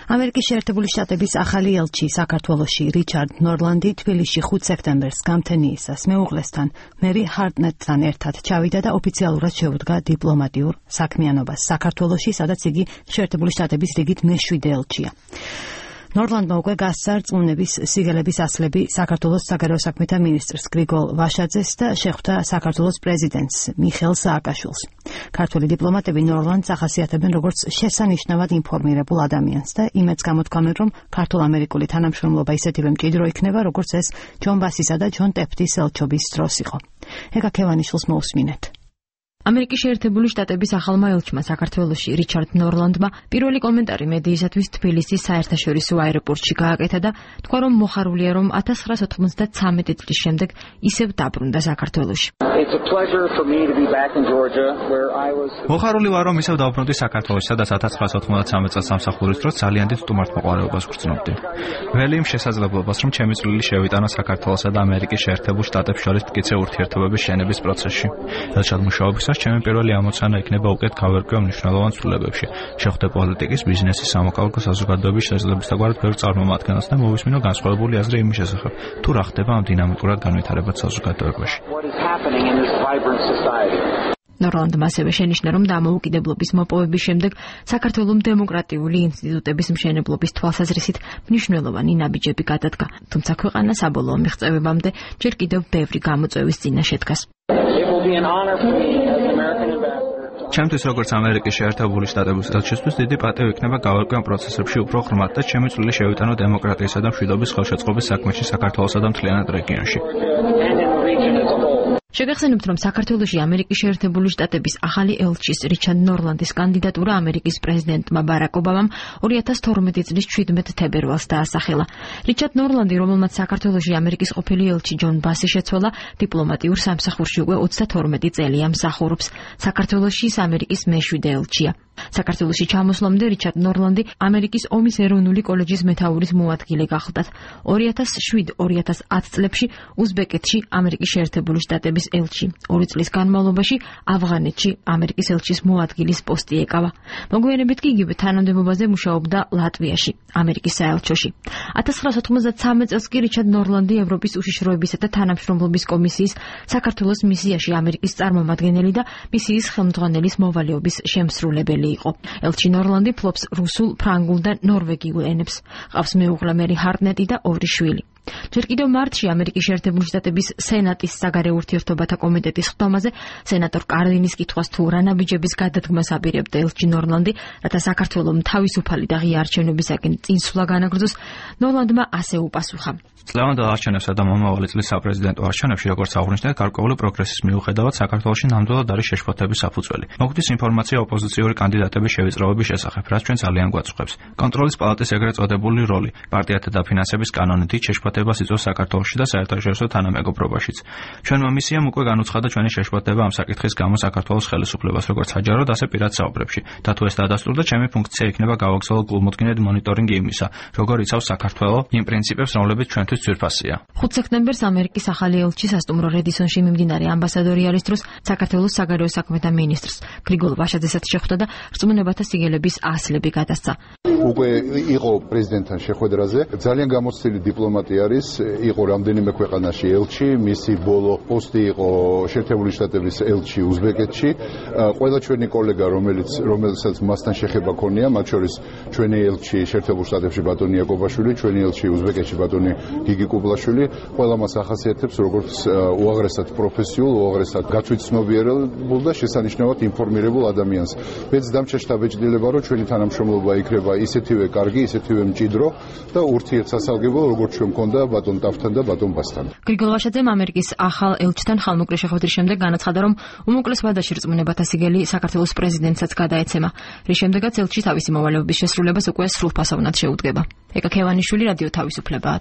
ამერიკის შეერთებული შტატების ახალი ელჩი საქართველოში რიჩარდ ნორლანდი თბილისში 5 სექტემბერს გამთენიისას მეუღლესთან მერი ჰარტნეტთან ერთად ჩავიდა და ოფიციალურად შეუდგა დიპლომატიურ საქმიანობას საქართველოში, სადაც იგი შეერთებული შტატების რიგით მე-7 ელჩია. ნორლანდმა უკვე გასცა რწმუნების სიგელების ასლები საქართველოს საგარეო საქმეთა მინისტრს გრიგოლ ვაშაძეს და შეხვდა საქართველოს პრეზიდენტს მიხეილ სააკაშვილს. ქართველი დიპლომატები ნორლანდს ახასიათებენ როგორც შესანიშნავად ინფორმირებულ ადამიანს და იმედს გამოთქვამენ, რომ ქართულ-ამერიკული თანამშრომლობა ისეთივე მჭიდრო იქნება, როგორც ეს ჯონ ბასისა და ჯონ ტეფტის ელჩობის დროს იყო. ეგა ქევანიშვილს მოусმინეთ. ამერიკის შეერთებული შტატების ახალმა ელჩმა საქართველოში რიჩარდ ნორლანდმა პირველი კომენტარი მედიისათვის თბილისის საერთაშორისო აეროპორტში გააკეთა და თქვა, რომ მოხარულია, რომ 1993 წლის შემდეგ ისევ დაბრუნდა საქართველოში. მოხარული ვარ, რომ ისევ დავბრუნდი საქართველოში, სადაც 1993 წელს სამსახურის დროს ძალიან დიდ სტუმართმოყვარეობას ვგრძნობდი. ველი იმ შესაძლებლობას, რომ ჩემი წვლილი შევიტანა საქართველოსა და ამერიკის შეერთებულ შტატებს შორის მტკიცე ურთიერთობების შენების პროცესში. ელჩად მუშაობისას ჩემი პირველი ამოცანა იქნება უკეთ გავერკვე მნიშვნელოვან ცვლილებებში, შეხვდე პოლიტიკის, ბიზნესის, სამოქალაქო საზოგადოების შესაძლებისთაგვარად ბევრ წარმომადგენელს და მოვისმინო განსხვავებული აზრი იმის შესახებ, თუ რა ხდება ამ დინამიკურად განვითარებად საზოგადოებაში. ნორლანდმა ასევე შენიშნა, რომ დამოუკიდებლობის მოპოვების შემდეგ საქართველოს დემოკრატიული ინსტიტუტების მშენებლობის თვალსაზრისით მნიშვნელოვანი ნაბიჯები გადადგა, თუმცა ქვეყანა საბოლოო მიღწევებამდე ჯერ კიდევ ბევრი გამოწვევის წინა შედგას. ჩემთვის როგორც ამერიკის შეერთებული შტატების ელჩისთვის დიდი პატივი იქნება გავერკვე ამ პროცესებში უფრო ღრმად და ჩემი წვლილი შევიტანო დემოკრატიისა და მშვიდობის ხელშეწყობის საქმეში საქართველოსა და მთლიანად რეგიონში. შეგახსენებთ, რომ საქართველოში ამერიკის შეერთებული შტატების ახალი ელჩის რიჩარდ ნორლანდის კანდიდატურა ამერიკის პრეზიდენტმა ბარაკ ობამამ 2012 წლის 17 თებერვალს დაასახელა. რიჩარდ ნორლანდი, რომელმაც საქართველოში ამერიკის ყოფილი ელჩი ჯონ ბასი შეცვალა, დიპლომატიურ სამსახურში უკვე 32 წელია მსახურობს. საქართველოში ის ამერიკის მე-7 ელჩია. საქართველოში ჩამოსვლამდე რიჩარდ ნორლანდი ამერიკის ომის ეროვნული კოლეჯის მეთაურის მოადგილე გახლდათ. 2007-2010 წლებში უზბეკეთში ამერიკის შეერთებული შტატების ელჩი. 2 წლის განმავლობაში ავღანეთში ამერიკის ელჩის მოადგილის პოსტი ეკავა. მოგვიანებით კი იგივე თანამდებობაზე მუშაობდა ლატვიაში, ამერიკის საელჩოში. 1993 წელს კი რიჩარდ ნორლანდი ევროპის უშიშროებისა და თანამშრომლობის კომისიის საქართველოს მისიაში ამერიკის წარმომადგენელი და მისიის ხელმძღვანელის მოვალეობის შემსრულებელი იყო. ელჩი ნორლანდი ფლობს რუსულ, ფრანგულ და ნორვეგიულ ენებს. ყავს მეუღლე მერი ჰარტნეტი და 2 შვილი. ჯერ კიდევ მარტში ამერიკის შეერთებული შტატების სენატის საგარეო ურთიერთობათა კომიტეტის ხდომაზე სენატორ კარლინის კითხვას თუ რა ნაბიჯების გადადგმას აპირებდა ელჩი ნორლანდი, რათა საქართველოს თავისუფალი და ღია არჩევნებისაკენ წინსვლა განაგრძოს, ნორლანდმა ასე უპასუხა. წლევანდელ არჩევნებსა და მომავალი წლის საპრეზიდენტო არჩევნებში, როგორც აღნიშნეთ, გარკვეული პროგრესის მიუხედავად საქართველოში ნამდვილად არის შეშფოთების საფუძველი. მოგვდის ინფორმაცია ოპოზიციური კანდიდატების შევიწროების შესახებ, რაც ჩვენ ძალიან გვაწუხებს. კონტროლის პალატის ეგრეთ წოდებული როლი, პარტიათა დაფინანსების კანონი დიდ შეშფოთებას იწვევს საქართველოში და საერთაშორისო თანამეგობრობაშიც. ჩვენმა მისიამ უკვე განუცხადა ჩვენი შეშფოთება ამ საკითხის გამო საქართველოს ხელისუფლებას, როგორც საჯაროდ, ასე პირად საუბრებში. და თუ ეს დადასტურდა, ჩემი ფუნქცია იქნება გავაგრძელო გულმოდგინედ მონიტორინგი იმისა, როგორ იცავს საქართველო იმ პრინციპებს, რომლებიც ჩვენთვის ძვირფასია. 5 სექტემბერს ამერიკის ახალი ელჩი სასტუმრო რედისონში მიმდინარე ამბასადორი არის დროს საქართველოს საგარეო საქმეთა მინისტრს გრიგოლ ვაშაძესაც შეხვდა და რწმუნებათა სიგელების ასლები გადასცა. უკვე იყო პრეზიდენტთან შეხვედრაზე, ძალიან გამოცდილი დიპლომატი არის, იყო რამდენიმე ქვეყანაში ელჩი, მისი ბოლო პოსტი იყო შეერთებული შტატების ელჩი უზბეკეთში. ყველა ჩვენი კოლეგა, რომელსაც მასთან შეხება ქონია, მათ შორის ჩვენი ელჩი შეერთებულ შტატებში ბატონი იაკობაშვილი, ჩვენი ელჩი უზბეკეთში ბატონი გიგი კუბლაშვილი, ყველა მას ახასიათებს როგორც უაღრესად პროფესიულ, უაღრესად გაწვით-ცნობიერებულ და შესანიშნავად ინფორმირებულ ადამიანს. მეც დამჩნევია, რომ ჩვენი თანამშრომლობა იქნება ისეთივე კარგი, ისეთივე მჭიდრო და ურთიერთსასალგებლო, როგორც ჩვენ მქონდა ბატონ ტაფთან და ბატონ ბასთან. გრიგოლ ვაშაძემ ამერიკის ახალ ელჩთან ხალმოკლე შეხვედრის შემდეგ განაცხადა, რომ უმოკლეს ვადაში რწმუნებათა სიგელი საქართველოს პრეზიდენტსაც გადაეცემა, რის შემდეგაც ელჩი თავისი მოვალეობის შესრულებას უკვე სრულფასოვნად შეუდგება. ეკა ქევანიშვილი, რადიო თავისუფლებაა.